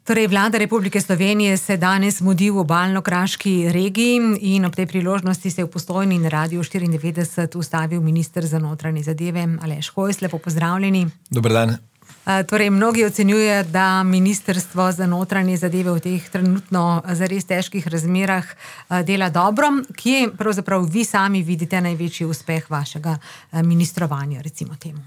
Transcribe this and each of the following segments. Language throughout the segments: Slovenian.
Torej, vlada Republike Slovenije se danes mudi v obalno-kraški regiji in ob tej priložnosti se je v Postojni in Radiu 94 ustavil minister za notranje zadeve Aleš Hojs. Lepo pozdravljeni. Dober dan. Torej, mnogi ocenjujejo, da ministrstvo za notranje zadeve v teh trenutno zares težkih razmerah dela dobro. Kje pravzaprav vi sami vidite največji uspeh vašega ministrovanja, recimo temu?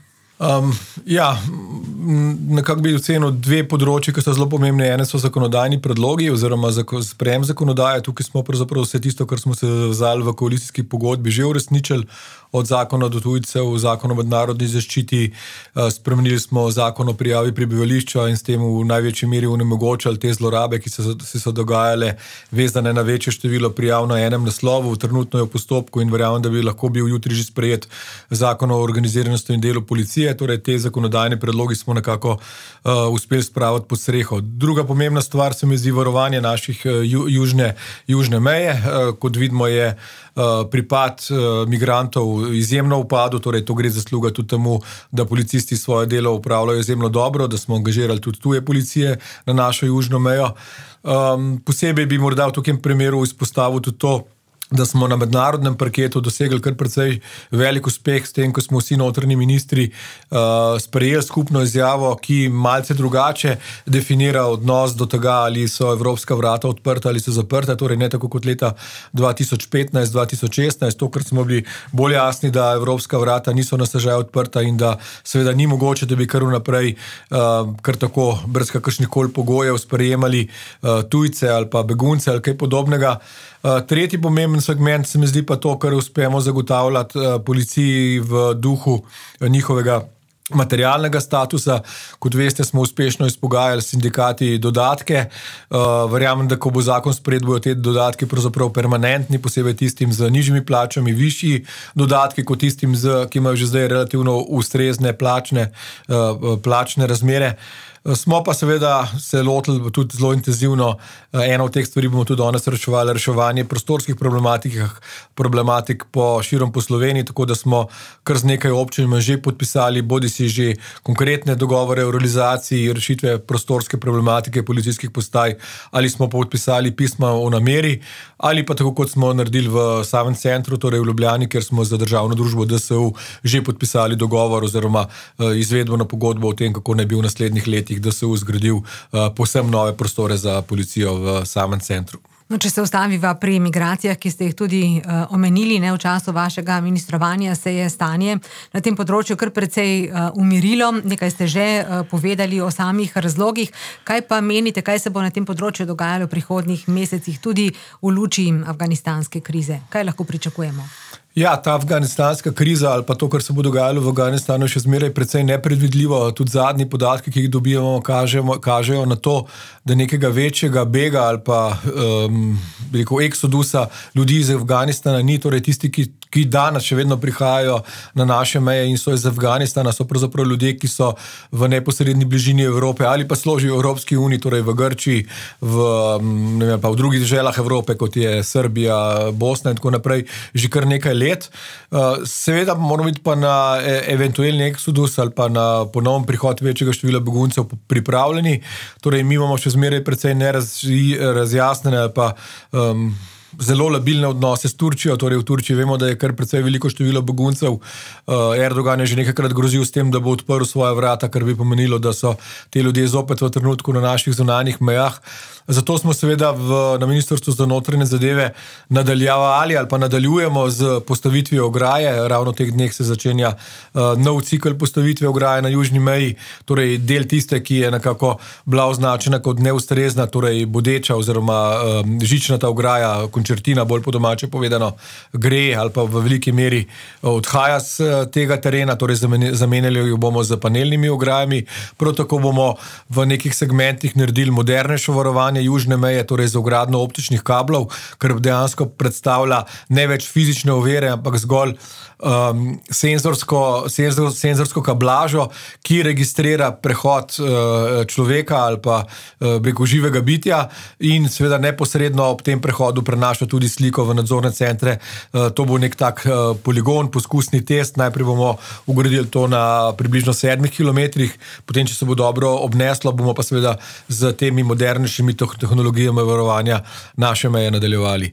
Nekako bi ocenil dve področji, ki so zelo pomembne. Ene so zakonodajni predlogi oziroma sprejem zakonodaje. Tukaj smo pravzaprav vse tisto, kar smo se zavezali v koalicijski pogodbi, že uresničili. Od zakona do tujcev, zakon o mednarodni zaščiti, spremenili smo zakon o prijavi prebivališča in s tem v največji meri onemogočali te zlorabe, ki so dogajale, vezane na večje število prijav na enem naslovu. Trenutno je v postopku in verjamem, da bi lahko bil jutri že sprejet zakon o organiziranosti in delu policije. Torej, te zakonodajne predlogi smo nekako uspeli spraviti pod streho. Druga pomembna stvar se mi zdi varovanje naših južne meje. Kot vidimo, je pripad migrantov izjemno upadu, torej to gre zasluga tudi temu, da policisti svoje delo upravljajo izjemno dobro, da smo angažirali tudi tuje policije na našo južno mejo. Posebej bi morda v takem primeru izpostavil tudi to, da smo na mednarodnem parketu dosegli kar precej velik uspeh s tem, ko smo vsi notranji ministri sprejeli skupno izjavo, ki malce drugače definira odnos do tega, ali so evropska vrata odprta ali so zaprta, torej ne tako kot leta 2015-2016, to, kar smo bili bolj jasni, da evropska vrata niso na stežaj odprta in da seveda ni mogoče, da bi kar vnaprej kar tako brez kakršnikoli pogojev sprejemali tujce ali pa begunce ali kaj podobnega. Tretji pomemben segment se mi zdi pa to, kar uspemo zagotavljati policiji v duhu njihovega materialnega statusa. Kot veste, smo uspešno izpogajali s sindikati dodatke. Verjamem, da ko bo zakon sprejet, bojo te dodatki pravzaprav permanentni, posebej tistim z nižjimi plačami, višji dodatki kot tistim, ki imajo že zdaj relativno ustrezne plačne razmere. Smo pa seveda se lotili tudi zelo intenzivno, eno od teh stvari bomo tudi danes reševanje prostorskih problematik širom po Sloveniji, tako da smo kar z nekaj občinami že podpisali, bodisi že konkretne dogovore o realizaciji rešitve prostorske problematike policijskih postaj, ali smo podpisali pisma o nameri, ali pa tako kot smo naredili v samem centru, torej v Ljubljani, kjer smo za državno družbo DSU že podpisali dogovor oziroma izvedbeno pogodbo o tem, kako naj bi v naslednjih letih DSU zgradil povsem nove prostore za policijo v samem centru. No, če se ustaviva pri migracijah, ki ste jih tudi omenili, v času vašega ministrovanja, se je stanje na tem področju kar precej umirilo. Nekaj ste že povedali o samih razlogih. Kaj pa menite, kaj se bo na tem področju dogajalo v prihodnjih mesecih, tudi v luči afganistanske krize? Kaj lahko pričakujemo? Ja, ta afganistanska kriza ali pa to, kar se bo dogajalo v Afganistanu, je še zmeraj precej nepredvidljivo. Tudi zadnji podatki, ki jih dobivamo, kažejo na to, da nekega večjega bega ali pa eksodusa ljudi iz Afganistana ni. Torej tisti, ki danes še vedno prihajajo na naše meje in so iz Afganistana, so pravzaprav ljudje, ki so v neposredni bližini Evrope ali pa složijo v Evropski uniji, torej v Grčiji, pa v drugih deželah Evrope, kot je Srbija, Bosna in tako naprej, že kar nekaj let. Seveda moramo biti pa na eventualni eksodus ali pa na ponovno prihod večjega števila beguncev pripravljeni. Torej, mi imamo še zmeraj precej nerazjasnene ali pa zelo labilne odnose s Turčijo. Torej, v Turčiji vemo, da je kar precej veliko število beguncev. Erdogan je že nekajkrat grozil s tem, da bo odprl svoja vrata, kar bi pomenilo, da so te ljudje zopet v trenutku na naših zunanjih mejah. Zato smo seveda na Ministrstvu za notranje zadeve nadaljevali ali pa nadaljujemo z postavitvijo ograje. Ravno v teh dneh se začenja nov cikel postavitve ograje na južni meji, torej del tiste, ki je nekako bila označena kot neustrezna, torej bodeča oziroma žičnata ograja, končertina, bolj po domače povedano, gre ali pa v veliki meri odhaja z tega terena, torej zamenjali jo bomo z panelnimi ograjami. Prav tako bomo v nekih segmentih naredili modernejšo varovanje vzdrževanje južne meje, torej za vgradnjo optičnih kablov, kar dejansko predstavlja ne več fizične ovire, ampak zgolj senzorsko kablažo, ki registrira prehod človeka ali pa preko živega bitja in seveda neposredno ob tem prehodu prenaša tudi sliko v nadzorne centre. To bo nek tak poligon, poskusni test. Najprej bomo ugradili to na približno 7 kilometrih, potem, če se bo dobro obneslo, bomo pa seveda z temi modernejšimi tehnologijami varovanja naše meje nadaljevali.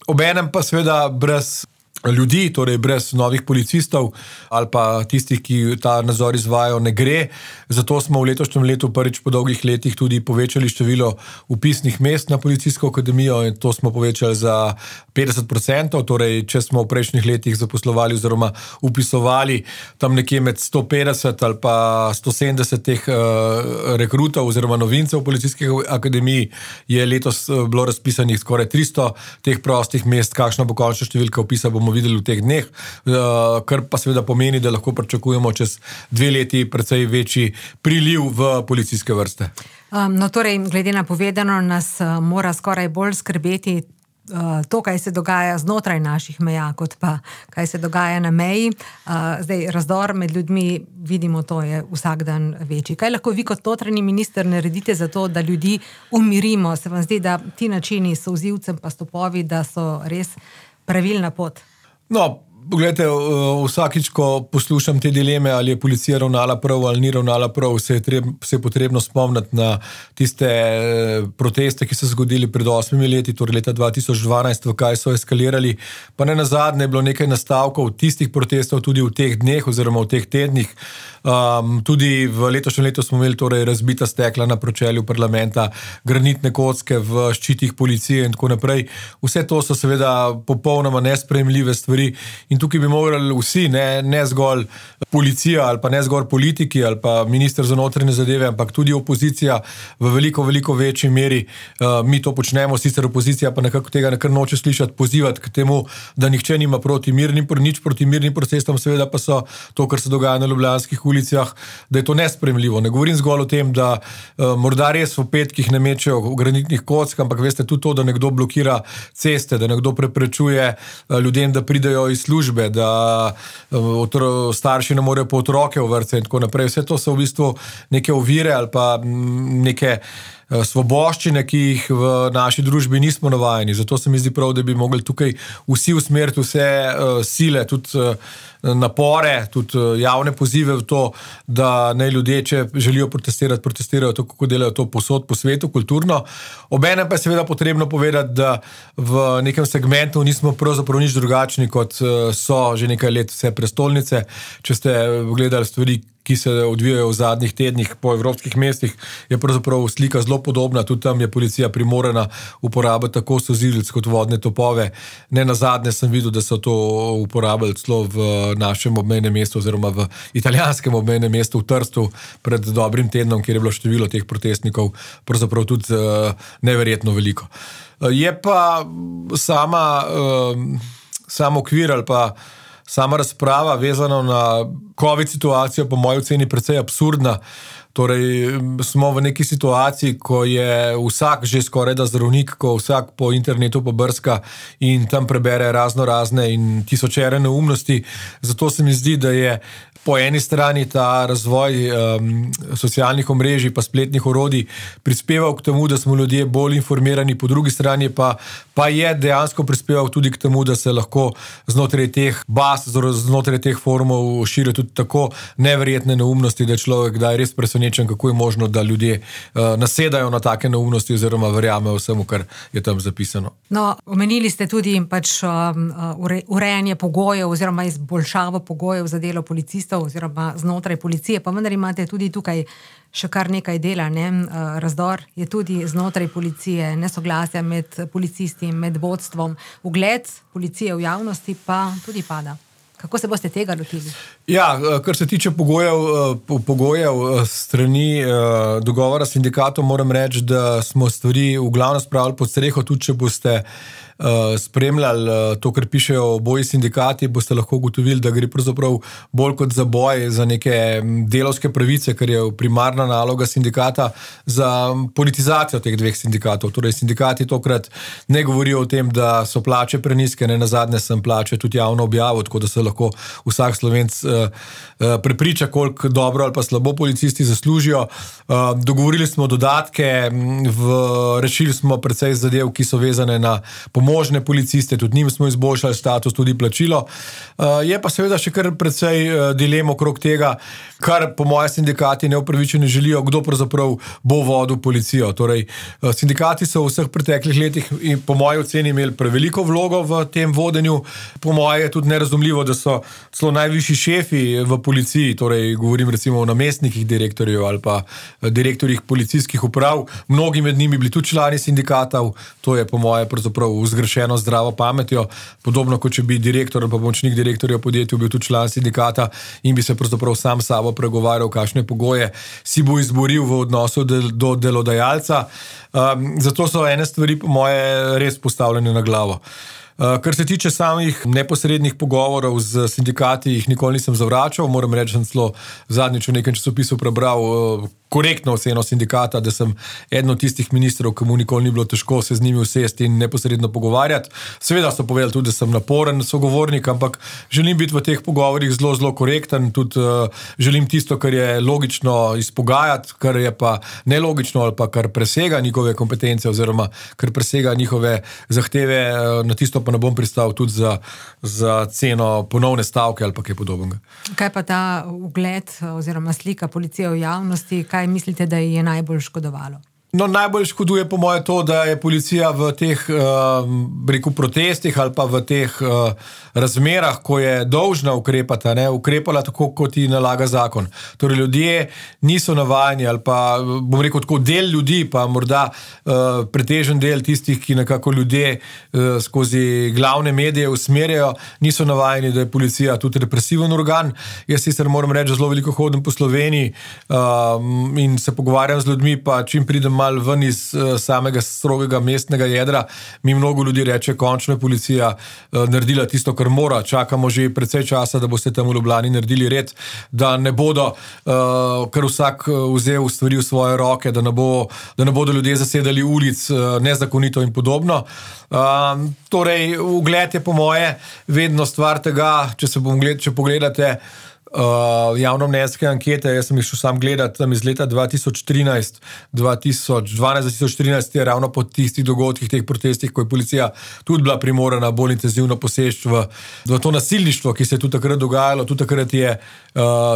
Obenem pa seveda brez ljudi, torej brez novih policistov ali pa tistih, ki ta nadzor izvajajo, ne gre. Zato smo v letošnjem letu prvič po dolgih letih tudi povečali število vpisnih mest na policijsko akademijo in to smo povečali za 50%, torej če smo v prejšnjih letih zaposlovali oziroma upisovali tam nekje med 150 ali pa 170 teh rekrutov oziroma novincev v policijski akademiji, je letos bilo razpisanih skoraj 300 teh prostih mest. Kakšna bo končna številka vpisa, bomo videli v teh dneh, kar pa seveda pomeni, da lahko pričakujemo čez 2 leti precej večji priliv v policijske vrste. No, torej, glede na povedano, nas mora skoraj bolj skrbeti to, kaj se dogaja znotraj naših meja, kot pa kaj se dogaja na meji. Zdaj, razdor med ljudmi, vidimo, to je vsak dan večji. Kaj lahko vi kot notranji minister naredite za to, da ljudi umirimo? Se vam zdi, da ti načini s solzivcem pa stopovi, da so res pravilna pot? No, pogledajte, vsakič, ko poslušam te dileme, ali je policija ravnala prav ali ni ravnala prav, se je potrebno spomniti na tiste proteste, ki so zgodili pred 8 leti, torej leta 2012, v kaj so eskalirali. Pa ne nazadnje je bilo nekaj nastavkov tistih protestov tudi v teh dneh oziroma v teh tednih. Tudi v letošnjem letu smo imeli torej razbita stekla na pročelju parlamenta, granitne kocke v ščitih policije in tako naprej. Vse to so seveda popolnoma nesprejemljive stvari in tukaj bi morali vsi, ne zgolj policija ali pa ne zgolj politiki ali pa minister za notranje zadeve, ampak tudi opozicija v veliko večji meri. Mi to počnemo, sicer opozicija pa nekako tega nekar noče slišati, pozivati k temu, da nihče nima nič proti mirnim protestom, seveda pa so to, kar se dogaja na ljubljanskih ulicah, da je to nesprejemljivo. Ne govorim zgolj o tem, da morda res v petkih ne mečejo granitnih kock, ampak veste tudi to, da nekdo blokira ceste, da nekdo preprečuje ljudem, da pridejo iz službe, da starši ne morejo po otroke v vrtce in tako naprej. Vse to so v bistvu neke ovire ali pa neke svoboščine, ki jih v naši družbi nismo navajeni. Zato se mi zdi prav, da bi mogli tukaj vsi usmeriti vse sile, tudi napore, tudi javne pozive v to, da naj ljudje, če želijo protestirati, protestirajo tako, kako delajo to povsod po svetu, kulturno. Obenem pa je seveda potrebno povedati, da v nekem segmentu nismo pravzaprav nič drugačni, kot so že nekaj let vse prestolnice. Če ste gledali stvari, ki se odvijajo v zadnjih tednih po evropskih mestih, je pravzaprav slika zelo podobna. Tudi tam je policija primorana uporabiti tako solzivec kot vodne topove. Ne nazadnje sem videl, da so to uporabili celo v našem obmejnem mestu oziroma v italijanskem obmejnem mestu v Trstu pred dobrim tednom, kjer je bilo število teh protestnikov pravzaprav tudi neverjetno veliko. Je pa sam okvir ali pa sama razprava vezana na COVID situacijo po moji oceni precej absurdna. Torej, smo v neki situaciji, ko je vsak že skoraj da zdravnik, ko vsak po internetu pobrska in tam prebere razne in tisočere neumnosti. Zato se mi zdi, da je po eni strani ta razvoj socialnih omrežij pa spletnih orodij prispeval k temu, da smo ljudje bolj informirani, po drugi strani pa je dejansko prispeval tudi k temu, da se lahko znotraj teh baz, znotraj teh forumov širijo tudi tako neverjetne neumnosti, da je človek kdaj res presenečen, kako je možno, da ljudje nasedajo na take neumnosti oziroma verjamejo vsemu, kar je tam zapisano. No, omenili ste tudi urejanje pogojev oziroma izboljšavo pogojev za delo policistov oziroma znotraj policije, pa vendar imate tudi tukaj še kar nekaj dela, ne? Razdor je tudi znotraj policije, nesoglasja med policisti, med vodstvom, ugled policije v javnosti pa tudi pada. Kako se boste tega lotili? Ja, kar se tiče pogojev strani dogovora s sindikatom, moram reči, da smo stvari v glavnem spravili pod streho, tudi če boste spremljali to, kar pišejo oboji sindikati, boste lahko ugotovili, da gre pravzaprav bolj kot za boj za neke delavske pravice, kar je primarna naloga sindikata, za politizacijo teh dveh sindikatov. Torej, sindikati tokrat ne govorijo o tem, da so plače prenizke, ne nazadnje sem plače tudi javno objavil, tako da se lahko vsak Slovenc prepriča, koliko dobro ali pa slabo policisti zaslužijo. Dogovorili smo dodatke, rešili smo precej zadev, ki so vezane na pomožne policiste, tudi njim smo izboljšali status, tudi plačilo. Je pa seveda še kar precej dilem okrog tega, kar po moje sindikati neupravičeno želijo, kdo pravzaprav bo vodil policijo. Torej, sindikati so v vseh preteklih letih in po moji oceni imeli preveliko vlogo v tem vodenju. Po moje je tudi nerazumljivo, da so celo najvišji šefi v policiji, torej govorim recimo o namestnikih direktorjev ali pa direktorjih policijskih uprav, mnogi med njimi bili tudi člani sindikatov, to je po moje pravzaprav zgrešeno zdravo pametjo, podobno kot če bi direktor ali pa pomočnik direktorja v podjetju bil tudi član sindikata in bi se pravzaprav sam sabo pregovarjal, kakšne pogoje si bo izboril v odnosu do delodajalca. Zato so ene stvari po moje res postavljene na glavo. Kar se tiče samih neposrednih pogovorov z sindikati, jih nikoli nisem zavračal, moram reči, sem celo zadnjič v nekem časopisu prebral korektno oceno sindikata, da sem eden od tistih ministrov, ki mu nikoli ni bilo težko se z njimi usesti in neposredno pogovarjati. Seveda so povedali tudi, da sem naporen sogovornik, ampak želim biti v teh pogovorih zelo, zelo korekten, tudi želim tisto, kar je logično izpogajati, kar je pa nelogično ali pa kar presega njihove kompetence oziroma kar presega njihove zahteve, na tisto pa ne bom pristal tudi za ceno ponovne stavke ali pa kaj podobnega. Kaj pa ta ugled oziroma slika policije v javnosti, kaj mislite, da je najbolj škodovalo? No, najbolj škoduje po moje to, da je policija v teh protestih ali pa v teh razmerah, ko je dolžna ukrepati, ukrepala tako, kot ji nalaga zakon. Torej, ljudje niso navajeni ali pa, bom rekel tako, del ljudi, pa morda pretežen del tistih, ki nekako ljudje skozi glavne medije usmerjajo, niso navajeni, da je policija tudi represiven organ. Jaz sicer moram reči, zelo veliko hodim po Sloveniji in se pogovarjam z ljudmi, pa čim pridem malo ven iz samega strogega mestnega jedra, mi mnogo ljudi reče, končno je policija naredila tisto, kar mora. Čakamo že precej časa, da boste tam v Ljubljani naredili red, da ne bodo kar vsak vzel stvari v svoje roke, da ne bodo ljudje zasedali ulic nezakonito in podobno. Torej, ugled je po moje vedno stvar tega, če pogledate javnomnenjske ankete, jaz sem jih šel sam gledati tam iz leta 2012-2013 je ravno po tistih dogodkih, teh protestih, ko je policija tudi bila primorana bolj intenzivno poseči v to nasilništvo, ki se je tudi takrat dogajalo, tudi takrat je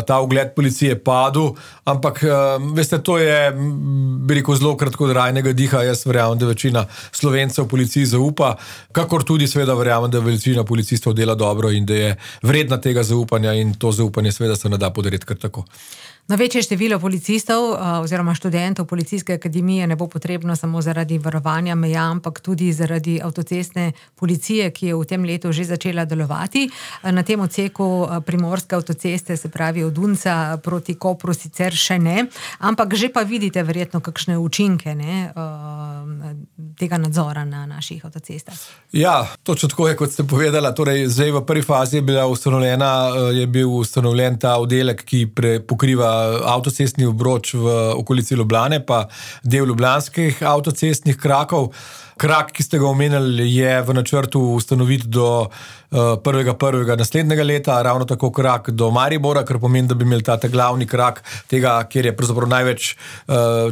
ta ugled policije padel, ampak veste, to je, bi rekel, zelo kratkotrajnega diha. Jaz verjamem, da večina Slovencev policiji zaupa, kakor tudi seveda verjamem, da večina policistov dela dobro in da je vredna tega zaupanja in to zaupanje seveda se ne da podariti kar tako. No, večje število policistov oziroma študentov Policijske akademije ne bo potrebno samo zaradi varovanja meja, ampak tudi zaradi avtocestne policije, ki je v tem letu že začela delovati. Na tem odseku primorske avtoceste, se pravi od Unca proti Kopru, sicer še ne, ampak že pa vidite verjetno kakšne učinke tega nadzora na naših avtocestah. Ja, točno tako je, kot ste povedala. Torej, zdaj v prvi fazi je bil ustanovljen ta oddelek, ki pokriva avtocestni obroč v okolici Ljubljane, pa del ljubljanskih avtocestnih krakov. Krak, ki ste ga omenili, je v načrtu ustanoviti do 1.1. naslednjega leta, ravno tako krak do Maribora, kar pomeni, da bi imeli ta glavni krak tega, kjer je pravzaprav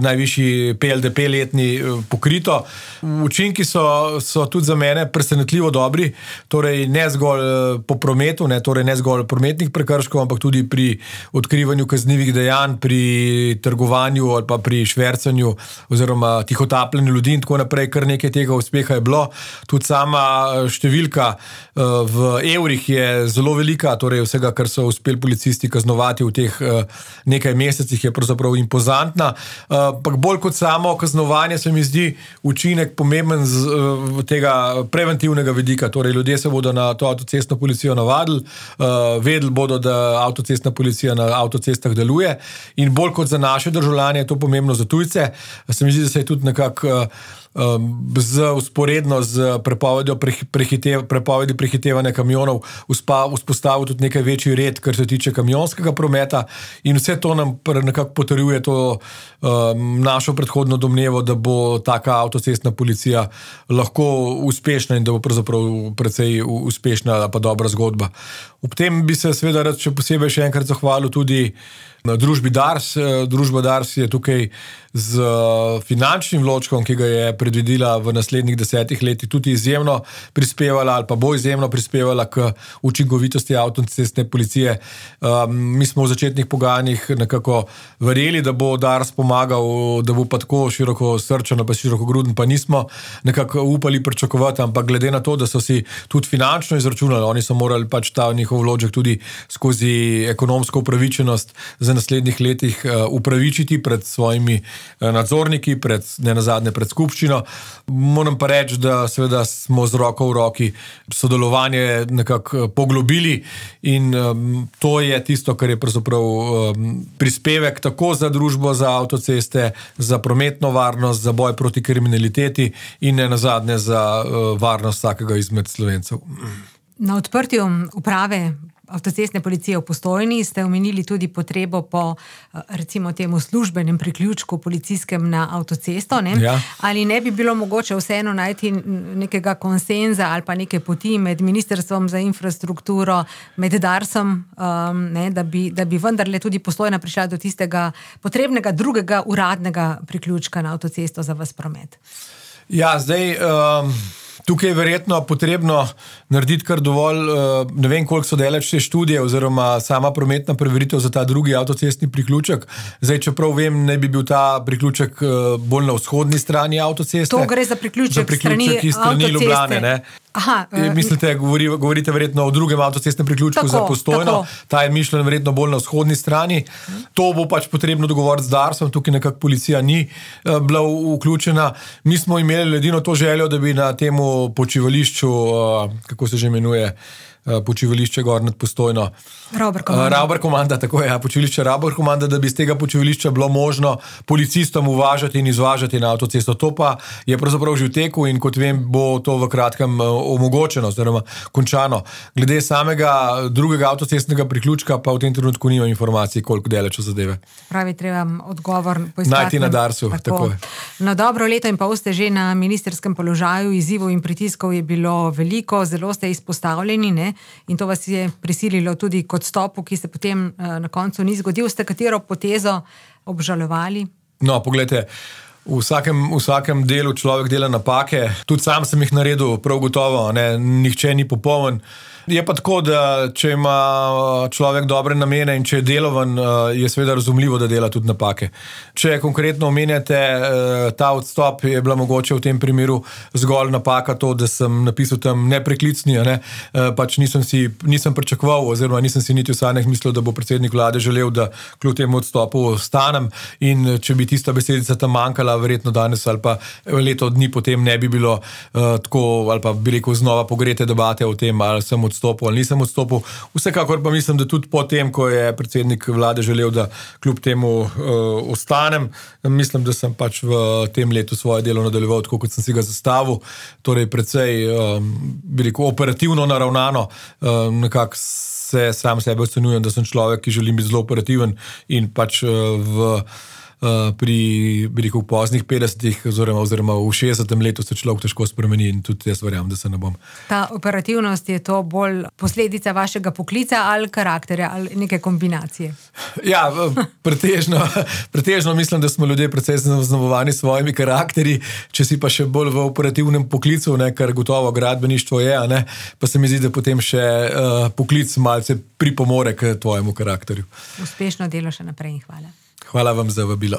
najvišji PLDP letni pokrito. Učinki so tudi za mene presenetljivo dobri, torej ne zgolj po prometu, torej ne zgolj prometnih prekrškov, ampak tudi pri odkrivanju kaznivih dejanj, pri trgovanju ali pa pri švercanju oziroma tihotapljenju ljudi in tako naprej, kar nekaj tega uspeha je bilo. Tudi sama številka v evrih je zelo velika, torej vsega, kar so uspeli policisti kaznovati v teh nekaj mesecih, je pravzaprav impozantna. Ampak bolj kot samo kaznovanje se mi zdi učinek učinek pomemben z tega preventivnega vidika, torej ljudje se bodo na to avtocestno policijo navadili, vedeli bodo, da avtocestna policija na avtocestah deluje in bolj kot za naše državljane je to pomembno za tujce. Se mi zdi, da se je tudi nekako usporedno z prepovedi prehitevanja kamionov vzpostavil tudi nekaj večji red, kar se tiče kamionskega prometa in vse to nam nekako potrjuje to našo predhodno domnevo, da bo taka avtocestna policija lahko uspešna in da bo pravzaprav precej uspešna pa dobra zgodba. Ob tem bi se seveda rad še posebej še enkrat zahvalil tudi na družbi Dars. Družba Dars je tukaj z finančnim vložkom, ki ga je predvidela v naslednjih 10 letih, tudi izjemno prispevala ali pa bo izjemno prispevala k učinkovitosti avtocestne policije. Mi smo v začetnih pogajanjih nekako verjeli, da bo Dars pomagal, da bo pa tako široko srčen, pa širokogruden, pa nismo nekako upali pričakovati, ampak glede na to, da so si tudi finančno izračunali, oni so morali pač ta njihov vložek tudi skozi ekonomsko upravičenost za naslednjih letih upravičiti pred svojimi nadzorniki, nenazadnje pred skupščino. Moram pa reči, da seveda smo z roko v roki sodelovanje nekako poglobili in to je tisto, kar je pravzaprav prispevek tako za družbo za avtoceste, za prometno varnost, za boj proti kriminaliteti in nenazadnje za varnost vsakega izmed Slovencev. Na odprtju uprave avtocestne policije v Postojni ste omenili tudi potrebo po, recimo temu, službenem priključku policijskem na avtocesto, ne? Ja. Ali ne bi bilo mogoče vseeno najti nekega konsenza ali pa neke poti med Ministrstvom za infrastrukturo, med Darsom, da bi vendarle tudi Postojna prišla do tistega potrebnega drugega uradnega priključka na avtocesto za vas promet? Ja, zdaj tukaj je verjetno potrebno narediti kar dovolj, ne vem, koliko so daleč te študije oziroma sama prometna preveritev za ta drugi avtocestni priključek. Zdaj, čeprav vem, ne bi bil ta priključek bolj na vzhodni strani avtoceste. To gre za priključek strani Ljubljane, ne? Aha, mislite, govorite verjetno o drugem avtocestnem priključku za Postojno. Tako. Ta je mišljen verjetno bolj na vzhodni strani. To bo pač potrebno dogovoriti z Darsom, tukaj nekako policija ni bila vključena. Mi smo imeli edino to željo, da bi na temu počivališču, kako se že imenuje, počivališče gor nad Postojno. Rauber komanda, tako je, počivališče Rauber komanda, da bi z tega počivališča bilo možno policistom uvažati in izvažati na avtocesto. To pa je pravzaprav že v teku in kot vem, bo to v kratkem omogočeno, oziroma končano. Glede samega drugega avtocestnega priključka pa v tem trenutku nimam informacij, koliko daleč od zadeve. Pravi, treba odgovor poiskati. Najti na Darsu, tako je. No, dobro leto in pol ste že na ministrskem položaju, izzivov in pritiskov je bilo veliko, zelo ste izpostavljeni, ne? In to vas je prisililo tudi k odstopu, ki se potem na koncu ni zgodil. Ste katero potezo obžalovali? No, poglejte, v vsakem delu človek dela napake, tudi sam sem jih naredil, prav gotovo, ne, nihče ni popoln. Je pa tako, da če ima človek dobre namene in če je delovan, je seveda razumljivo, da dela tudi napake. Če konkretno omenjate ta odstop, je bila mogoče v tem primeru zgolj napaka to, da sem napisal tam nepreklicni, ne? Pač nisem pričakoval oziroma nisem si niti v sanjah mislil, da bo predsednik vlade želel, da kljub temu odstopu ostanem in če bi tista besedica tam manjkala, verjetno danes ali pa leto dni potem ne bi bilo tako, ali pa bi rekel znova pogrete debate o tem, ali sem odstopil ali nisem odstopil. Vsekakor pa mislim, da tudi po tem, ko je predsednik vlade želel, da kljub temu ostanem, mislim, da sem pač v tem letu svoje delo nadaljeval tako, kot sem si ga zastavil. Torej precej, bi rekel, operativno naravnano, nekako se sam sebe ocenjujem, da sem človek, ki želim biti zelo operativen in pač pri, bi rekel, poznih 50-ih oziroma v 60. letu se človek težko spremeni in tudi jaz verjamem, da se ne bom. Ta operativnost, je to bolj posledica vašega poklica ali karakterja ali neke kombinacije? Ja, pretežno mislim, da smo ljudje precej zaznamovani s svojimi karakterji, če si pa še bolj v operativnem poklicu, ne, kar gotovo gradbeništvo je, ne, pa se mi zdi, da potem še poklic malce pripomore k tvojemu karakterju. Uspešno delo še naprej in hvala. Hvala vam za vabilo.